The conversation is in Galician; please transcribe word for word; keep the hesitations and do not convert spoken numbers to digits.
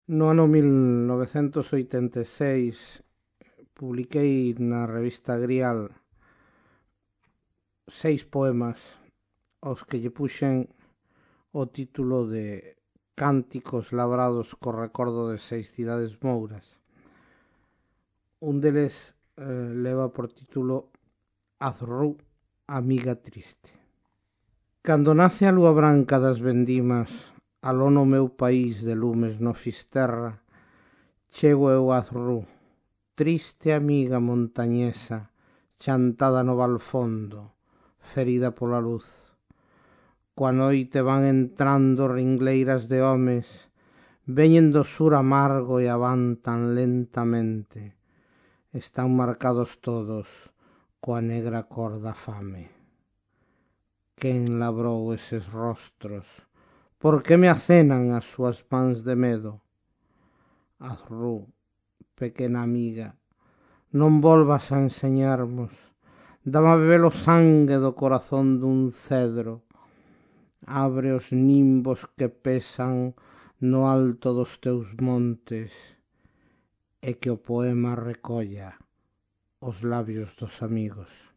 No ano mil novecentos oitenta e seis publiquei na revista Grial seis poemas aos que lle puxen o título de Cánticos labrados co recordo de seis cidades mouras. Un deles eh, leva por título Azrú, amiga triste. Cando nace a lúa branca das vendimas, aló no meu país de lumes no Fisterra, chego eu a Azrú, triste amiga montañesa, chantada no valfondo, ferida pola luz. Coa noite van entrando ringleiras de homes, veñen do sur amargo e avantan lentamente. Están marcados todos coa negra cor da fame. Quen labrou eses rostros? Por que me acenan as súas mans de medo? Azrú, pequena amiga, non volvas a enseñarmos. Dame a beber o sangue do corazón dun cedro. Abre os nimbos que pesan no alto dos teus montes e que o poema recolla os labios dos amigos.